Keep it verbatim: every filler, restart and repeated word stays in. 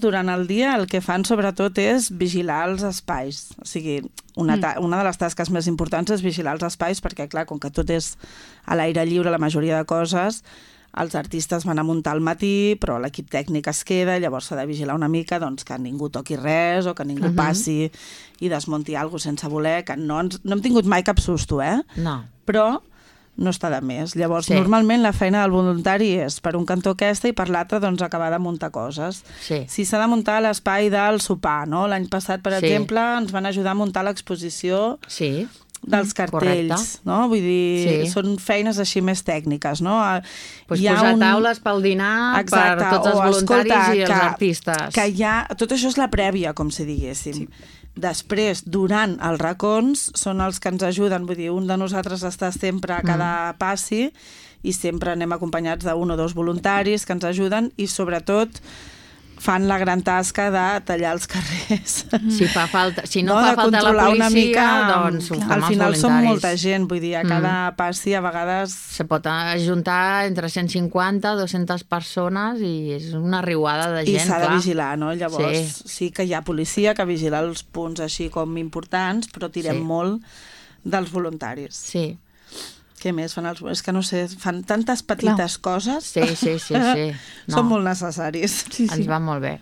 Durant el dia el que fan sobretot és vigilar els espais. O sigui, una, una de les tasques més importants és vigilar els espais perquè, clar, com que tot és a l'aire lliure, la majoria de coses, els artistes van a muntar al matí, però l'equip tècnic es queda, llavors s'ha de vigilar una mica doncs, que ningú toqui res o que ningú uh-huh. passi i desmunti alguna cosa sense voler, que no, ens, no hem tingut mai cap susto, eh? No. Però no està de més. Llavors, sí. normalment la feina del voluntari és per un cantó aquesta i per l'altre doncs, acabar de muntar coses. Sí. Si s'ha de muntar l'espai del sopar, no? L'any passat, per sí. exemple, ens van ajudar a muntar l'exposició sí. dels cartells, correcte. No? Vull dir, sí. són feines així més tècniques, no? Pues posar un... taules pel dinar Exacte. Per tots els o, voluntaris escolta, i els que, artistes. Que hi ha... Tot això és la prèvia, com si diguéssim. Sí. Després, durant els racons, són els que ens ajuden, vull dir, un de nosaltres està sempre a cada mm. passi i sempre anem acompanyats d'un o dos voluntaris que ens ajuden i, sobretot, fan la gran tasca de tallar els carrers. Si fa falta, si no, no fa falta la policia, mica, doncs ho fem al final som molta gent, vull dir, a cada mm. passi a vegades... Se pot ajuntar entre cent cinquanta i dues-centes persones i és una riuada de gent, I s'ha clar. de vigilar, no? Llavors sí. sí que hi ha policia que vigila els punts així com importants, però tirem sí. molt dels voluntaris. Sí. Què més fan els... És que no sé, fan tantes petites Clar. coses. Sí, sí, sí. sí. No. Són molt necessaris. Sí, sí. Ens va molt bé.